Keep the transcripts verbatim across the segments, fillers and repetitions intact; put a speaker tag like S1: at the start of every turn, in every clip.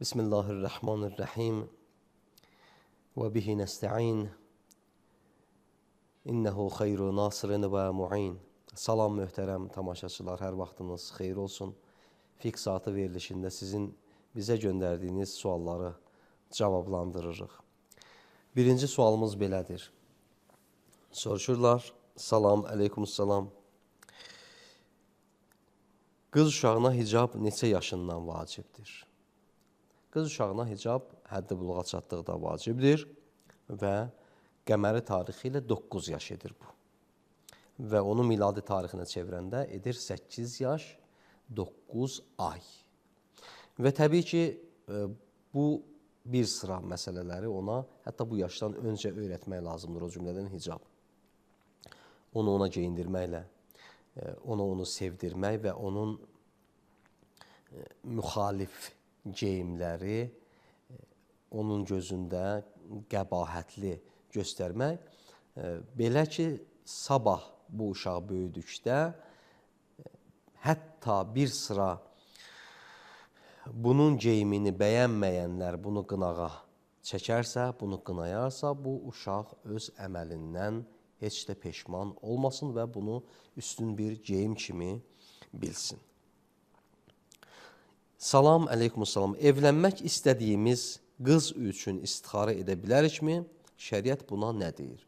S1: Bismillahirrahmanirrahim. Və bihi nəstə'in. İnnehu xeyru nasirin və mu'in. Salam möhtərəm tamaşaçılar, hər vaxtınız xeyir olsun. Fiqh saatı verilişində sizin bizə göndərdiyiniz sualları cavablandırırıq. Birinci sualımız belədir. Soruşurlar, salam, əleykumussalam. Qız uşağına hicab neçə yaşından vacibdir? Qız uşağına hicab həddi buluğa çatdıqda vacibdir və qəməri tarixi ilə doqquz yaş edir bu. Və onu miladi tarixinə çevirəndə edir səkkiz yaş, doqquz ay. Və təbii ki, bu bir sıra məsələləri ona hətta bu yaşdan öncə öyrətmək lazımdır, o cümlədən hicab. Onu ona geyindirməklə, onu onu sevdirmək və onun müxalif geyimləri onun gözündə qəbahətli göstərmək. Belə ki, sabah bu uşaq böyüdükdə hətta bir sıra bunun geyimini bəyənməyənlər bunu qınağa çəkərsə, bunu qınayarsa, bu uşaq öz əməlindən heç də peşman olmasın və bunu üstün bir geyim kimi bilsin. Salam, əleykumussalam. Evlənmək istədiyimiz qız üçün istixarə edə bilərikmi? Şəriət buna nə deyir?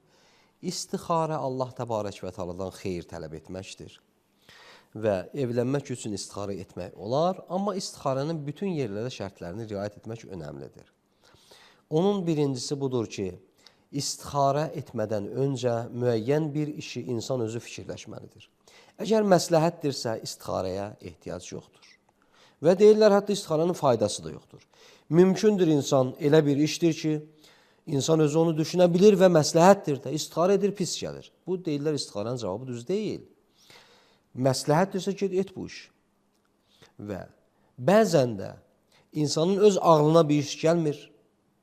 S1: İstixarə Allah təbarək və təaladan xeyir tələb etməkdir. Və evlənmək üçün istixarə etmək olar, amma istixarənin bütün yerlərdə şərtlərini riayət etmək önəmlidir. Onun birincisi budur ki, istixarə etmədən öncə müəyyən bir işi insan özü fikirləşməlidir. Əgər məsləhətdirsə, istixarəyə ehtiyac yoxdur. Və deyirlər, hətta istixarənin faydası da yoxdur. Mümkündür insan elə bir işdir ki, insan özü onu düşünə bilir və məsləhətdir də, istixarə edir, pis gəlir. Bu deyirlər, istixarənin cavabı düz deyil. Məsləhətdirsə ki, et bu iş. Və bəzən də insanın öz ağlına bir iş gəlmir.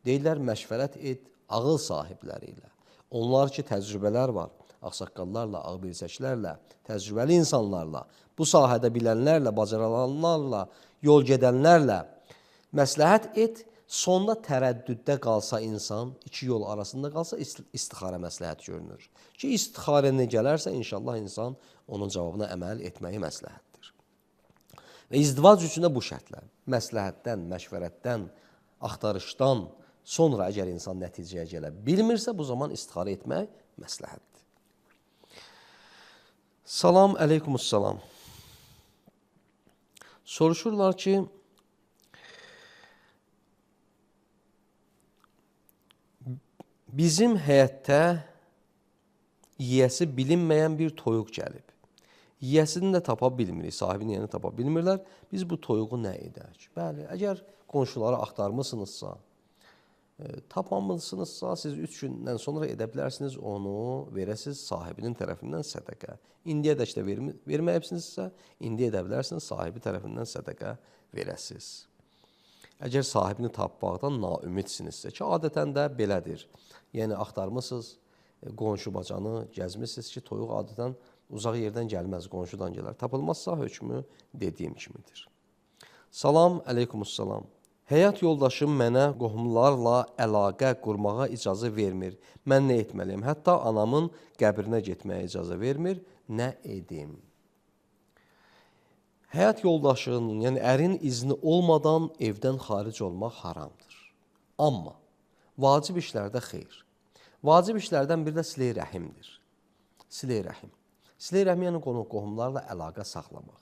S1: Deyirlər, məşvərət et ağıl sahibləri ilə. Onlar ki, təcrübələr var. Ağsaqqallarla, ağbirçəklərlə, təcrübəli insanlarla, bu sahədə bilənlərlə, bacarılanlarla, yol gedənlərlə məsləhət et, sonda tərəddüddə qalsa insan, iki yol arasında qalsa istixarə məsləhət görünür. Ki, istixarə gələrsə, inşallah insan onun cavabına əməl etməyi məsləhətdir. Və izdivac üçün də bu şərtlər, məsləhətdən, məşvərətdən, axtarışdan sonra əgər insan nəticəyə gələ bilmirsə, bu zaman istixarə etmək məsləhətdir. Salam, əleykumussalam. Soruşurlar ki, bizim həyətdə yiyəsi bilinməyən bir toyuq gəlib. Yiyəsini də tapa bilmirik, sahibini yeni tapa bilmirlər. Biz bu toyuğu nə edək? Bəli, əgər qonşuları axtarmısınızsa, tapmamışsınızsa, siz üç gündən sonra edə bilərsiniz, onu verəsiniz sahibinin tərəfindən sədəqə. İndiyədək də verməyibsinizsə, indi edə bilərsiniz, sahibi tərəfindən sədəqə verəsiniz. Əgər sahibini tapmaqdan naümidsinizsə ki, adətən də belədir. Yəni, axtarmısınız, qonşu bacanı gəzmişsiniz ki, toyuq adətən uzaq yerdən gəlməz, qonşudan gələr. Tapılmazsa hökmü dediyim kimidir. Salam, əleykumussalam. Həyat yoldaşım mənə qohumlarla əlaqə qurmağa icazə vermir. Mən nə etməliyim? Hətta anamın qəbrinə getməyə icazə vermir. Nə edim? Həyat yoldaşının, yəni ərin izni olmadan evdən xaric olmaq haramdır. Amma vacib işlərdə xeyr. Vacib işlərdən biri də silə-i rəhimdir. Silə-i rəhim. Silə-i rəhim yəni qohumlarla əlaqə saxlamaq.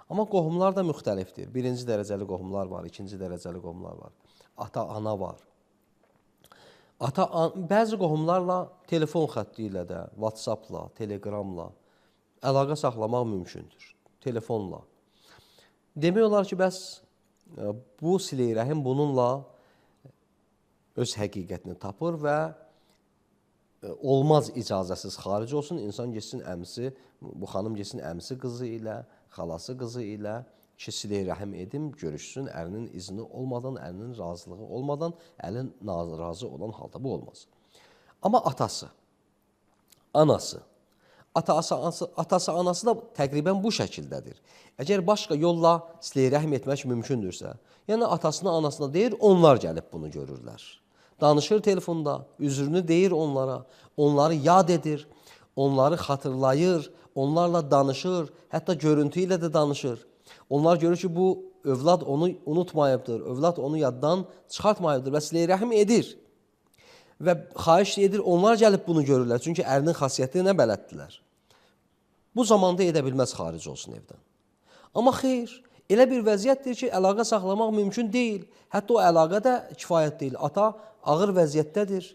S1: Amma qohumlar da müxtəlifdir. Birinci dərəcəli qohumlar var, ikinci dərəcəli qohumlar var. Ata, ana var. Ata, bəzi qohumlarla telefon xətti ilə də, WhatsApp-la, Telegramla əlaqə saxlamaq mümkündür. Telefonla. Demək olar ki, bəs bu silə-i rəhim bununla öz həqiqətini tapır və olmaz icazəsiz xaric olsun, insan geçsin əmsi, bu xanım geçsin əmsi qızı ilə, xalası qızı ilə ki, silə-i rəhim edim, görüşsün, ərinin izni olmadan, ərinin razılığı olmadan, əlin razı olan halda bu olmaz. Amma atası, anası, atası, anası, atası, anası da təqribən bu şəkildədir. Əgər başqa yolla silə rəhm etmək mümkündürsə, yəni atasına, anasına deyir, onlar gəlib bunu görürlər. Danışır telefonda, üzrünü deyir onlara, onları yad edir, onları xatırlayır, onlarla danışır, hətta görüntü ilə də danışır. Onlar görür ki, bu övlad onu unutmayıbdır, övlad onu yaddan çıxartmayıbdır və silə rəhm edir. Və xahiş edir, onlar gəlib bunu görürlər. Çünki ərinin xasiyyətinə bələddirlər. Bu zamanda edə bilməz xaric olsun evdən. Amma xeyr, elə bir vəziyyətdir ki, əlaqə saxlamaq mümkün deyil. Hətta o əlaqə də kifayət deyil. Ata ağır vəziyyətdədir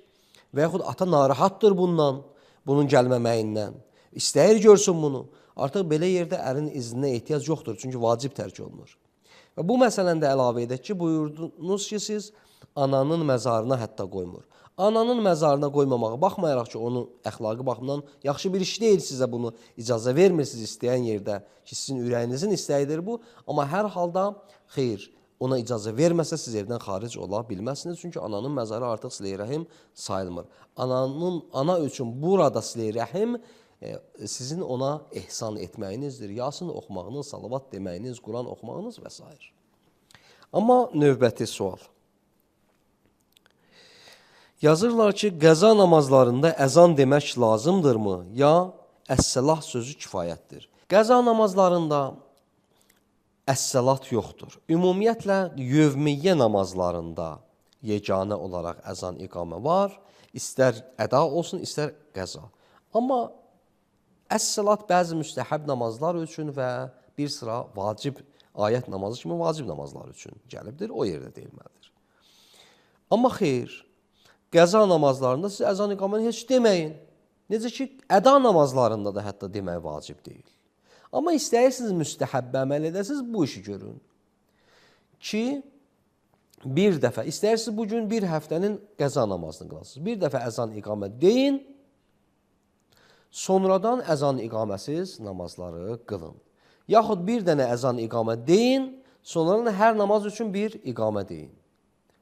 S1: və yaxud ata narahatdır bundan, bunun gəlməməyindən. İstəyir görsün bunu. Artıq belə yerdə ərin izninə ehtiyac yoxdur, çünki vacib tərk olunur. Və bu məsələni də əlavə edək ki, buyurdunuz ki, siz ananın məzarına hətta qoymur. Ananın məzarına qoymamağa baxmayaraq ki, onun əxlaqı baxımdan yaxşı bir iş deyil, sizə bunu icazə vermirsiniz istəyən yerdə ki, sizin ürəyinizin istəyidir bu. Amma hər halda xeyr, ona icazə verməsə siz evdən xaric ola bilməzsiniz. Çünki ananın məzarı artıq silə rəhim sayılmır. Ananın, ana üçün burada silə rəhim e, sizin ona ehsan etməyinizdir. Yasin oxumağınız, salavat deməyiniz, Quran oxumağınız və s. Amma növbəti sual. Yazırlar ki, qəza namazlarında əzan demək lazımdırmı, ya əs-səlah sözü kifayətdir? Qəza namazlarında əs-səlat yoxdur. Ümumiyyətlə, yövmiyyə namazlarında yeganə olaraq əzan iqamə var, istər əda olsun, istər qəza. Amma əs-səlat bəzi müstəhəb namazlar üçün və bir sıra vacib, ayət namazı kimi vacib namazlar üçün gəlibdir, o yerdə deyilməlidir. Amma xeyr, qəza namazlarında siz əzan iqaməni heç deməyin. Necə ki, əda namazlarında da hətta demək vacib deyil. Amma istəyirsiniz müstəhəbbə əməl edəsiniz, bu işi görün. Ki, bir dəfə, istəyirsiniz bugün bir həftənin qəza namazını qılasınız. Bir dəfə əzan iqamə deyin, sonradan əzan iqaməsiz namazları qılın. Yaxud bir dənə əzan iqamə deyin, sonradan hər namaz üçün bir iqamə deyin.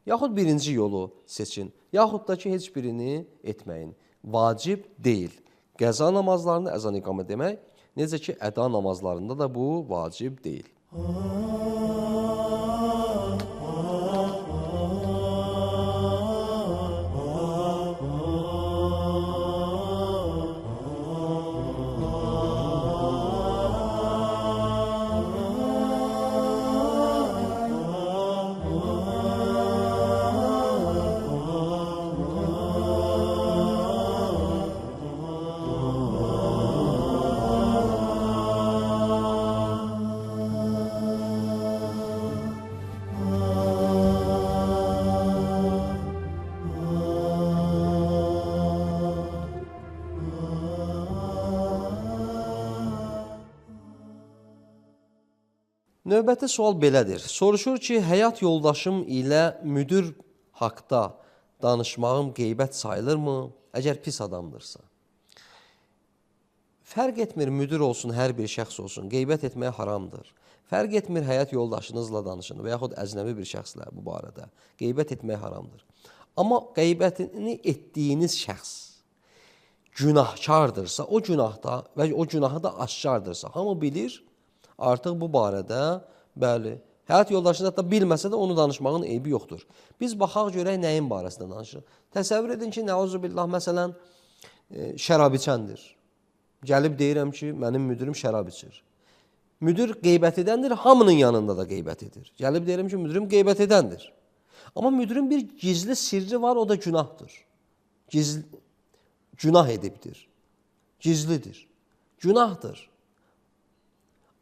S1: Yaxud birinci yolu seçin, yaxud da ki, heç birini etməyin. Vacib deyil. Qəza namazlarında əzan iqamə demək, necə ki, əda namazlarında da bu vacib deyil. Növbəti sual belədir. Soruşur ki, həyat yoldaşım ilə müdür haqda danışmağım qeybət sayılırmı, əgər pis adamdırsa? Fərq etmir, müdür olsun, hər bir şəxs olsun, qeybət etmək haramdır. Fərq etmir, həyat yoldaşınızla danışın və yaxud əcnəbi bir şəxslə bu barədə. Qeybət etmək haramdır. Amma qeybətini etdiyiniz şəxs günahkardırsa, o günahda və o günahı da aşkardırsa, hamı bilir, artıq bu barədə, bəli, həyat yoldaşını hətta bilməsə də onu danışmağın eybi yoxdur. Biz baxaq görək nəyin barəsində danışırıq. Təsəvvür edin ki, nəuzubillah, məsələn, e, şərab içəndir. Gəlib deyirəm ki, mənim müdürüm şərab içir. Müdür qeybət edəndir, hamının yanında da qeybət edir. Gəlib deyirəm ki, müdürüm qeybət edəndir. Amma müdürün bir gizli sirri var, o da günahdır. Gizli, günah edibdir. Gizlidir. Günahdır.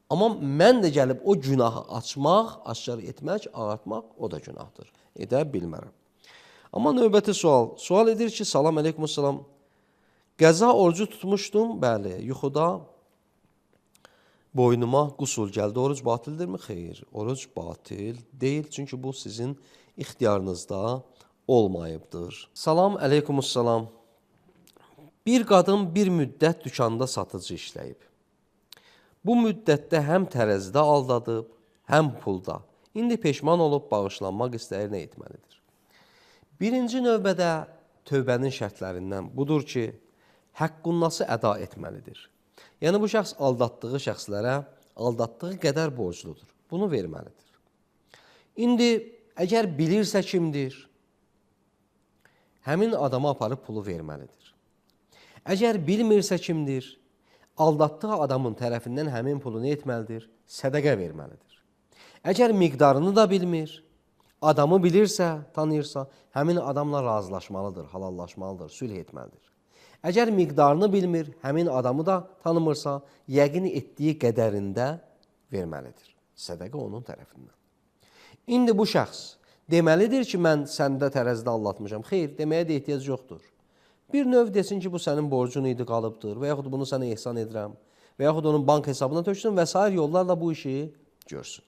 S1: Amma mən də gəlib o günahı açmaq, aşkar etmək, ağartmaq, o da günahdır. Edə bilmərəm. Amma növbəti sual. Sual edir ki, salam əleykumussalam. Qəza orucu tutmuşdum, bəli, yuxuda boynuma qusul gəldi. Oruc batildirmi? Xeyr, oruc batil deyil. Çünki bu sizin ixtiyarınızda olmayıbdır. Salam əleykumussalam. Bir qadın bir müddət dükanda satıcı işləyib. Bu müddətdə həm tərəzidə aldadıb, həm pulda. İndi peşman olub bağışlanmaq istəyir, nə etməlidir? Birinci növbədə tövbənin şərtlərindən budur ki, həqqunası əda etməlidir. Yəni bu şəxs aldatdığı şəxslərə aldatdığı qədər borcludur. Bunu verməlidir. İndi əgər bilirsə kimdir, həmin adama aparıb pulu verməlidir. Əgər bilmirsə kimdir, aldatdığı adamın tərəfindən həmin pulu nə etməlidir? Sədəqə verməlidir. Əgər miqdarını da bilmir, adamı bilirsə, tanıyırsa, həmin adamla razılaşmalıdır, halallaşmalıdır, sülh etməlidir. Əgər miqdarını bilmir, həmin adamı da tanımırsa, yəqin etdiyi qədərində verməlidir. Sədəqə onun tərəfindən. İndi bu şəxs deməlidir ki, mən səndə tərəzidə aldatmışam. Xeyr, deməyə də ehtiyac yoxdur. Bir növ desin ki, bu sənin borcun idi, qalıbdır və yaxud bunu sənə ehsan edirəm və yaxud onun bank hesabına töksün və s. yollarla bu işi görsün.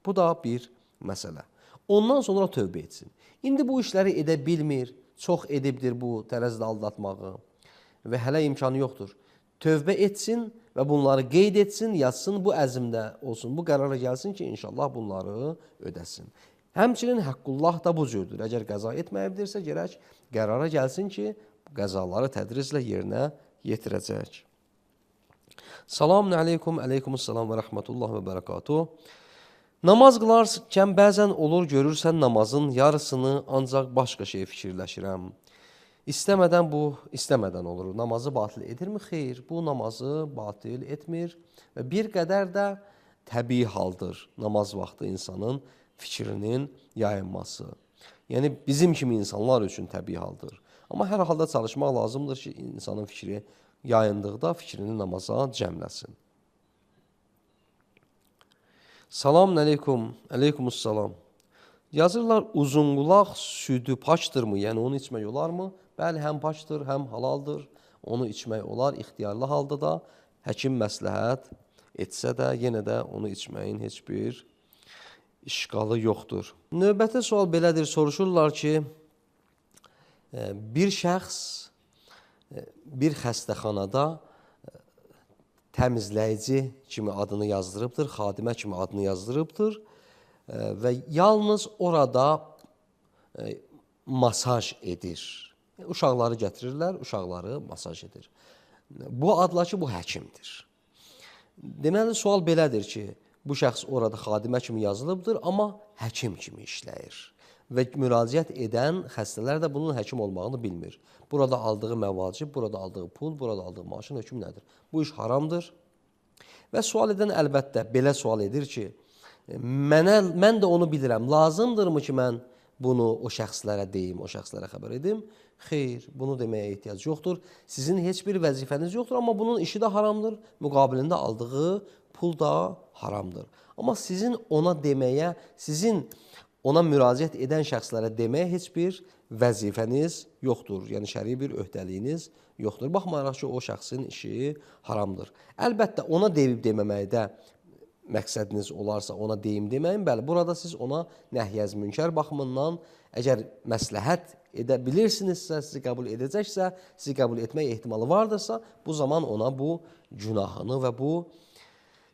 S1: Bu da bir məsələ. Ondan sonra tövbə etsin. İndi bu işləri edə bilmir, çox edibdir bu tərəzidə aldatmağı və hələ imkanı yoxdur. Tövbə etsin və bunları qeyd etsin, yazsın, bu əzmdə olsun, bu qərara gəlsin ki, inşallah bunları ödəsin. Həmçinin Həqqullah da bu cürdür. Əgər qəza etməyibdirsə, gərək qərara gəlsin ki, qəzaları tədrizlə yerinə yetirəcək. Salamun aleykum, aleykumussalam və rəhmətullah və bərəkatuh. Namaz qılarkən bəzən olur, görürsən namazın yarısını ancaq başqa şey fikirləşirəm. İstəmədən bu, istəmədən olur. Namazı batil edirmi? Xeyr, bu namazı batil etmir və bir qədər də təbii haldır namaz vaxtı insanın fikrinin yayınması. Yəni bizim kimi insanlar üçün təbii haldır. Amma hər halda çalışmaq lazımdır ki, insanın fikri yayındıqda fikrini namaza cəmləsin. Salamun aleykum, aleykumussalam. Yazırlar, uzunqulaq südü paçdırmı? Yəni onu içmək olarmı? Bəli, həm paçdır, həm halaldır. Onu içmək olar, ixtiyarlı halda da həkim məsləhət etsə də, yenə də onu içməyin heç bir işqalı yoxdur. Növbəti sual belədir, soruşurlar ki, bir şəxs bir xəstəxanada təmizləyici kimi adını yazdırıbdır, xadimə kimi adını yazdırıbdır və yalnız orada masaj edir. Uşaqları gətirirlər, uşaqları masaj edir. Bu adla ki, bu həkimdir. Deməli, sual belədir ki, bu şəxs orada xadimə kimi yazılıbdır, amma həkim kimi işləyir. Və müraciət edən xəstələr də bunun həkim olmağını bilmir. Burada aldığı məvacib, burada aldığı pul, burada aldığı maaşın hökmü nədir? Bu iş haramdır. Və sual edən əlbəttə belə sual edir ki, mənə, mən də onu bilirəm, lazımdırmı ki, mən bunu o şəxslərə deyim, o şəxslərə xəbər edim? Xeyr, bunu deməyə ehtiyac yoxdur. Sizin heç bir vəzifəniz yoxdur, amma bunun işi də haramdır, müqabilində aldığı pul da haramdır. Amma sizin ona deməyə, sizin ona müraciət edən şəxslərə deməyə heç bir vəzifəniz yoxdur. Yəni, şəri bir öhdəliyiniz yoxdur. Baxmayaraq ki, o şəxsin işi haramdır. Əlbəttə, ona deyib deməməkdə məqsədiniz olarsa, ona deyim deməyin. Bəli, burada siz ona nəhyəz münkər baxımından, əgər məsləhət edə bilirsinizsə, sizi qəbul edəcəksə, sizi qəbul etmək ehtimalı vardırsa, bu zaman ona bu günahını və bu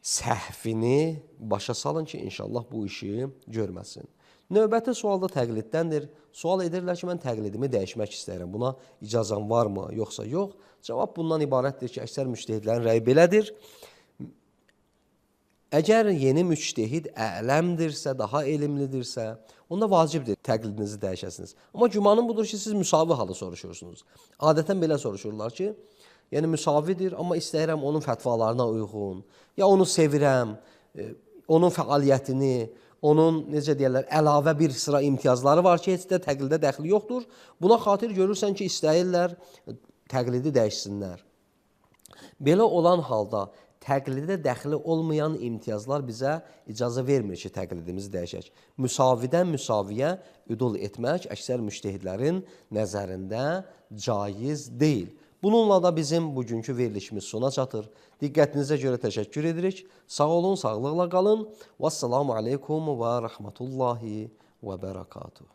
S1: səhvini başa salın ki, inşallah bu işi görməsin. Növbəti sualda təqliddəndir. Sual edirlər ki, mən təqlidimi dəyişmək istəyirəm. Buna icazəm varmı, yoxsa yox? Cavab bundan ibarətdir ki, əksər müctehidlərin rəyi belədir. Əgər yeni müctehid ələmdirsə, daha elmlidirsə, onda vacibdir təqlidinizi dəyişəsiniz. Amma gümanım budur ki, siz müsavi halı soruşursunuz. Adətən belə soruşurlar ki, yəni müsavidir, amma istəyirəm onun fətvalarına uyğun, ya onu sevirəm, onun fəaliyyətini, onun, necə deyərlər, əlavə bir sıra imtiyazları var ki, heç də təqlidə dəxli yoxdur. Buna xatir görürsən ki, istəyirlər təqlidi dəyişsinlər. Belə olan halda təqlidə dəxli olmayan imtiyazlar bizə icazə vermir ki, təqlidimizi dəyişək. Müsavidən müsaviyə üdul etmək əksər müctehidlərin nəzərində caiz deyil. Bununla da bizim bugünkü verilişimiz sona çatır. Diqqətinizə görə təşəkkür edirik. Sağ olun, sağlıqla qalın. Vəssalamu aleykum və rəhmətullahi və bərəkatuhu.